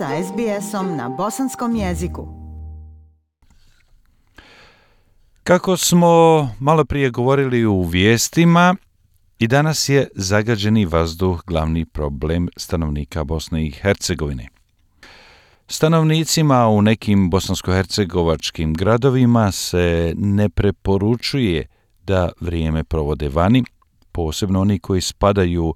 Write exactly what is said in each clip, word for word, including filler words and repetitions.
sa es be esom na bosanskom jeziku. Kako smo malo prije govorili u vijestima, i danas je zagađeni vazduh glavni problem stanovnika Bosne i Hercegovine. Stanovnicima u nekim bosansko-hercegovačkim gradovima se ne preporučuje da vrijeme provode vani, posebno oni koji spadaju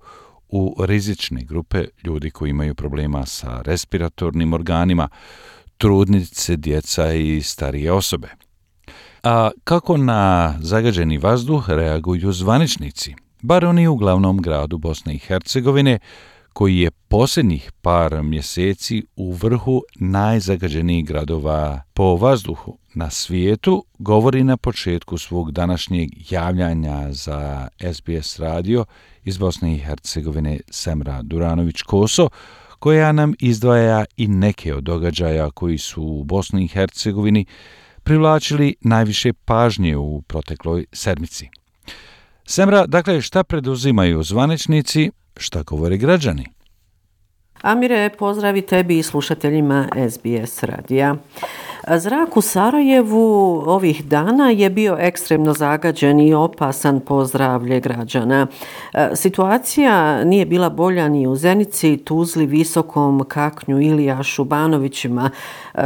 u rizične grupe, ljudi koji imaju problema sa respiratornim organima, trudnice, djeca i starije osobe. A kako na zagađeni vazduh reaguju zvaničnici, bar oni u glavnom gradu Bosne i Hercegovine, koji je posljednjih par mjeseci u vrhu najzagađenijih gradova po vazduhu na svijetu, govori na početku svog današnjeg javljanja za es be es radio iz Bosne i Hercegovine Semra Duranović-Koso, koja nam izdvaja i neke od događaja koji su u Bosni i Hercegovini privlačili najviše pažnje u protekloj sedmici. Semra, dakle, šta preduzimaju zvaničnici, šta govore građani? Amire, pozdravi tebi i slušateljima es be es radija. Zrak u Sarajevu ovih dana je bio ekstremno zagađen i opasan po zdravlje građana. Situacija nije bila bolja ni u Zenici, Tuzli, Visokom, Kaknju, Ilijašu, Banovićima.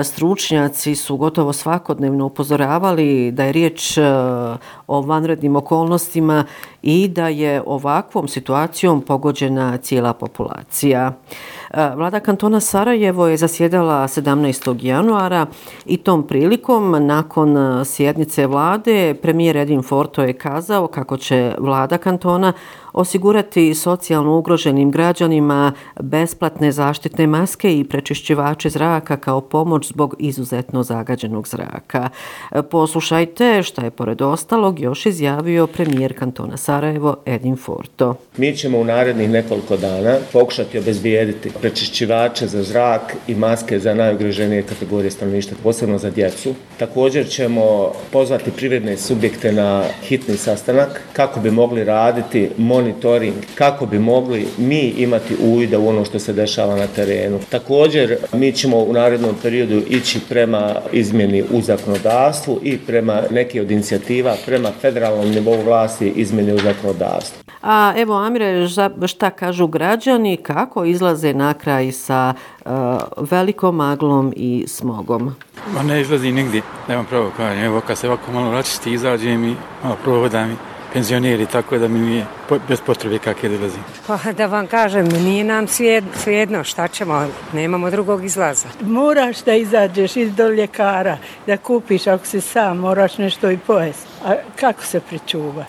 Stručnjaci su gotovo svakodnevno upozoravali da je riječ o vanrednim okolnostima i da je ovakvom situacijom pogođena cijela populacija. Vlada kantona Sarajevo je zasjedala sedamnaestog januara i tom prilikom nakon sjednice vlade premijer Edin Forto je kazao kako će vlada kantona osigurati socijalno ugroženim građanima besplatne zaštitne maske i prečišćivače zraka kao pomoć zbog izuzetno zagađenog zraka. Poslušajte šta je pored ostalog još izjavio premijer kantona Sarajevo Edin Forto. Mi ćemo u narednih nekoliko dana pokušati obezbijediti prečišćivače za zrak i maske za najugroženije kategorije stanovništva, posebno za djecu. Također ćemo pozvati privredne subjekte na hitni sastanak kako bi mogli raditi monitoring, kako bi mogli mi imati uvida u ono što se dešava na terenu. Također mi ćemo u narednom periodu ići prema izmjeni u zakonodavstvu i prema neke od inicijativa prema federalnom nivou vlasti izmjeni u zakonodavstvu. A evo Amire, šta kažu građani, kako izlaze na kraj sa uh, velikom maglom i smogom? Ma ne izlazi nigdje, nemam pravo kažem. Evo kad se ovako malo račisti, izađem i malo prohodam i penzioneri, tako da mi nije bez potrebe kakve dolazim. Pa da vam kažem, nije nam svejedno, šta ćemo, nemamo drugog izlaza. Moraš da izađeš iz do ljekara, da kupiš, ako si sam, moraš nešto i pojesti. A kako se pričuva?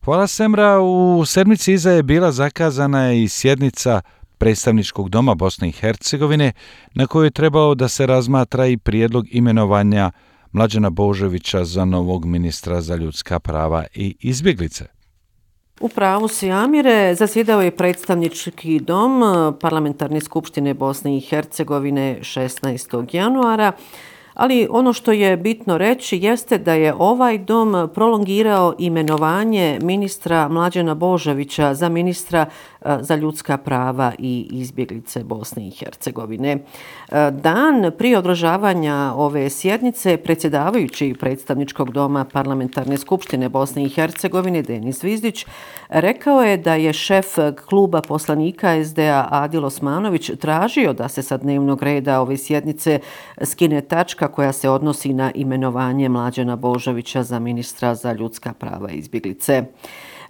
Hvala Semra, u sedmici iza je bila zakazana i sjednica predstavničkog doma Bosne i Hercegovine na kojoj je trebao da se razmatra i prijedlog imenovanja Mlađana Božovića za novog ministra za ljudska prava i izbjeglice. U pravu si, Amire, zasjedao je predstavnički dom Parlamentarne skupštine Bosne i Hercegovine šesnaestog januara, ali ono što je bitno reći jeste da je ovaj dom prolongirao imenovanje ministra Mlađana Božovića za ministra za ljudska prava i izbjeglice Bosne i Hercegovine. Dan prije održavanja ove sjednice predsjedavajući predstavničkog doma Parlamentarne skupštine Bosne i Hercegovine Denis Zvizdić rekao je da je šef kluba poslanika es de a Adil Osmanović tražio da se sa dnevnog reda ove sjednice skine tačka koja se odnosi na imenovanje Mlađana Božovića za ministra za ljudska prava i izbjeglice.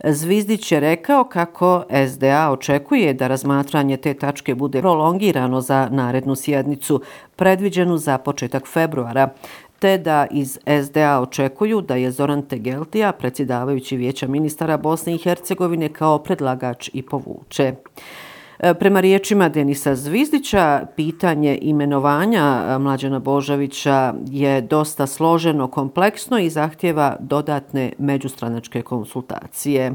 Zvizdić je rekao kako es de a očekuje da razmatranje te tačke bude prolongirano za narednu sjednicu, predviđenu za početak februara, te da iz es de a očekuju da je Zoran Tegeltija, predsjedavajući Vijeća ministara Bosne i Hercegovine, kao predlagač i povuče. Prema riječima Denisa Zvizdića, pitanje imenovanja Mlađana Božovića je dosta složeno, kompleksno i zahtjeva dodatne međustranačke konsultacije.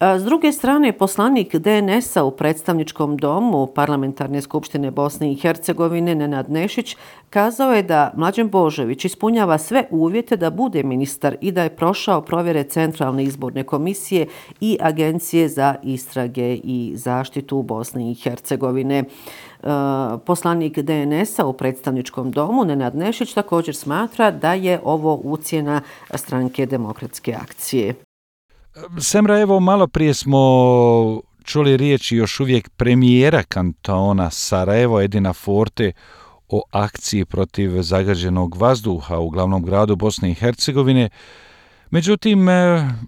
S druge strane, poslanik D N S-a u predstavničkom domu Parlamentarne skupštine Bosne i Hercegovine Nenad Nešić kazao je da Mlađan Božović ispunjava sve uvjete da bude ministar i da je prošao provjere Centralne izborne komisije i Agencije za istrage i zaštitu Bosne i Hercegovine. Poslanik D N S-a u predstavničkom domu Nenad Nešić također smatra da je ovo ucjena stranke Demokratske akcije. Semra, evo malo prije smo čuli riječi još uvijek premijera kantona Sarajevo Edina Forte o akciji protiv zagađenog vazduha u glavnom gradu Bosne i Hercegovine. Međutim,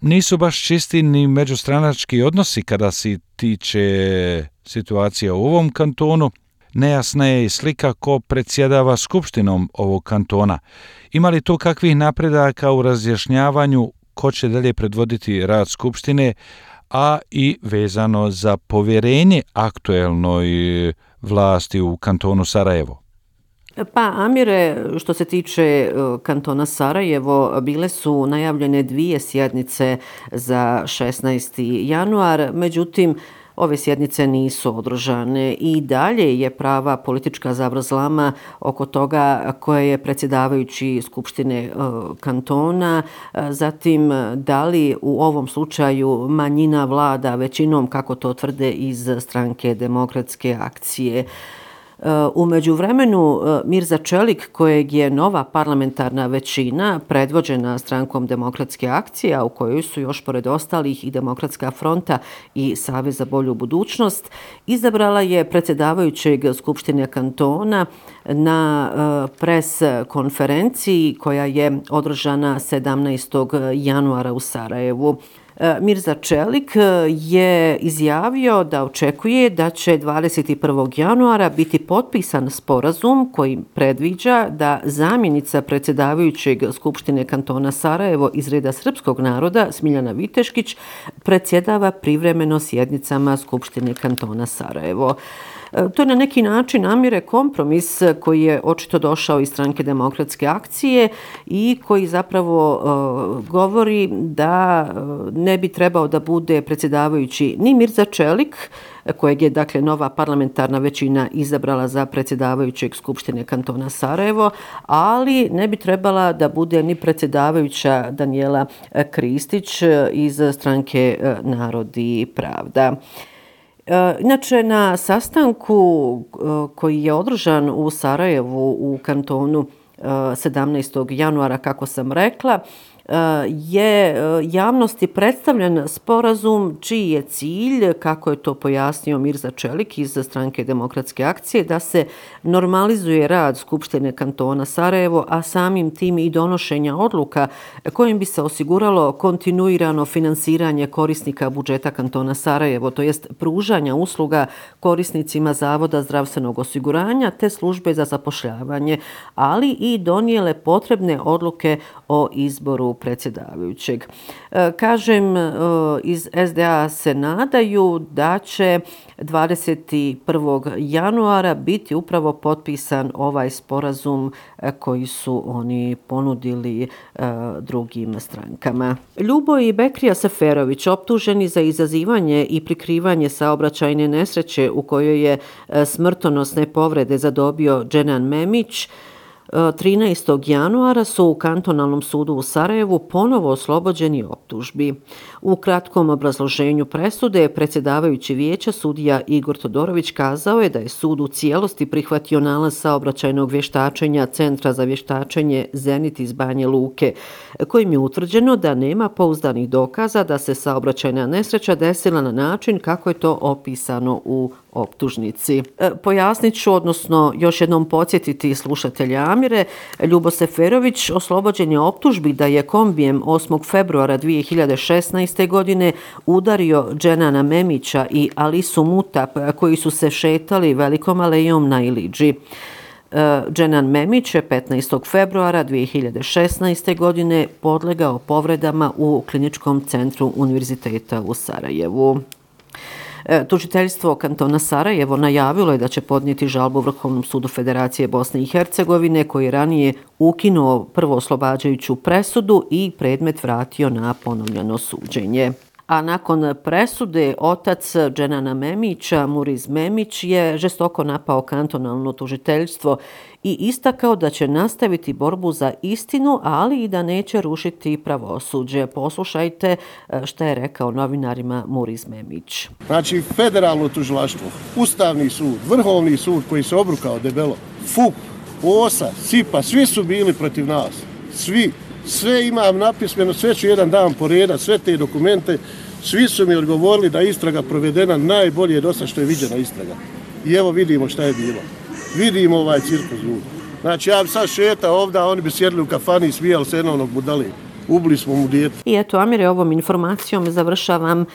nisu baš čisti ni međustranački odnosi kada se tiče situacija u ovom kantonu. Nejasna je i slika ko predsjedava skupštinom ovog kantona. Ima li tu kakvih napredaka u razjašnjavanju ko će dalje predvoditi rad skupštine, a i vezano za povjerenje aktuelnoj vlasti u kantonu Sarajevo? Pa, Amire, što se tiče kantona Sarajevo, bile su najavljene dvije sjednice za šesnaesti januar, međutim, ove sjednice nisu održane i dalje je prava politička zavrzlama oko toga koje je predsjedavajući Skupštine kantona, zatim da li u ovom slučaju manjina vlada većinom, kako to tvrde iz stranke Demokratske akcije. U međuvremenu Mirza Čelik, kojeg je nova parlamentarna većina predvođena strankom Demokratske akcije, a u kojoj su još pored ostalih i Demokratska fronta i Savez za bolju budućnost, izabrala je predsjedavajućeg Skupštine kantona na pres konferenciji koja je održana sedamnaestog januara u Sarajevu. Mirza Čelik je izjavio da očekuje da će dvadeset prvog januara biti potpisan sporazum koji predviđa da zamjenica predsjedavajućeg Skupštine kantona Sarajevo iz reda srpskog naroda Smiljana Viteškić predsjedava privremeno sjednicama Skupštine kantona Sarajevo. To je na neki način, Amire, kompromis koji je očito došao iz stranke Demokratske akcije i koji zapravo uh, govori da ne bi trebao da bude predsjedavajući ni Mirza Čelik, kojeg je dakle nova parlamentarna većina izabrala za predsjedavajućeg Skupštine kantona Sarajevo, ali ne bi trebala da bude ni predsjedavajuća Danijela Kristić iz stranke Narod i pravda. Inače, na sastanku koji je održan u Sarajevu u kantonu sedamnaestog januara, kako sam rekla, je javnosti predstavljen sporazum čiji je cilj, kako je to pojasnio Mirza Čelik iz stranke Demokratske akcije, da se normalizuje rad Skupštine kantona Sarajevo, a samim tim i donošenja odluka kojim bi se osiguralo kontinuirano finansiranje korisnika budžeta kantona Sarajevo, to jest pružanja usluga korisnicima Zavoda zdravstvenog osiguranja te službe za zapošljavanje, ali i donijele potrebne odluke o izboru predsjedavajućeg. Kažem, iz S D A se nadaju da će dvadeset prvog januara biti upravo potpisan ovaj sporazum koji su oni ponudili drugim strankama. Ljuboj Bekrija Seferović, optuženi za izazivanje i prikrivanje saobraćajne nesreće u kojoj je smrtonosne povrede zadobio Dženan Memić, trinaestog januara su u kantonalnom sudu u Sarajevu ponovo oslobođeni optužbi. U kratkom obrazloženju presude predsjedavajući vijeća sudija Igor Todorović kazao je da je sud u cijelosti prihvatio nalaz saobraćajnog vještačenja Centra za vještačenje Zenit iz Banje Luke, kojim je utvrđeno da nema pouzdanih dokaza da se saobraćajna nesreća desila na način kako je to opisano u optužnici. Pojasnit ću, odnosno još jednom podsjetiti slušatelja Amire, Ljubo Seferović oslobođen je optužbi da je kombijem osmog februara dvije hiljade šesnaeste. godine udario Dženana Memića i Alisu Mutap koji su se šetali velikom alejom na Ilidži. Dženan Memić je petnaestog februara dvije hiljade šesnaeste. godine podlegao povredama u kliničkom centru Univerziteta u Sarajevu. Tužiteljstvo kantona Sarajevo najavilo je da će podnijeti žalbu Vrhovnom sudu Federacije Bosne i Hercegovine, koji je ranije ukinuo prvo oslobađajuću presudu i predmet vratio na ponovljeno suđenje. a nakon presude otac Dženana Memića, Muriz Memić, je žestoko napao kantonalno tužiteljstvo i istakao da će nastaviti borbu za istinu, ali i da neće rušiti pravosuđe. Poslušajte šta je rekao novinarima Muriz Memić. Znači, federalno tužilaštvo, Ustavni sud, Vrhovni sud koji se obrukao debelo, F U P, O S A, S I P A, svi su bili protiv nas. Svi. Sve imam napismeno, sve ću jedan dan poredat, sve te dokumente. Svi su mi odgovorili da je istraga provedena najbolje do sada što je viđena istraga. I evo vidimo šta je bilo. Vidimo ovaj cirkus ljudi. Znači ja bi sad šetao ovdje, a oni bi sjedili u kafani i smijali se jednog budali. Ubili smo mu dijete. I eto, Amire, ovom informacijom završavam uh,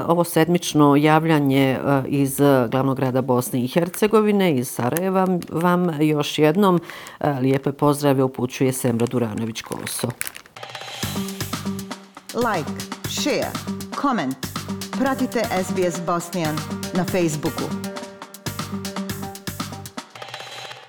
ovo sedmično javljanje uh, iz glavnog grada Bosne i Hercegovine, iz Sarajeva. Vam još jednom uh, lijepe pozdrave upućuje Semra Duranović-Koso. Like, share, comment. Pratite S B S Bosnian na Facebooku.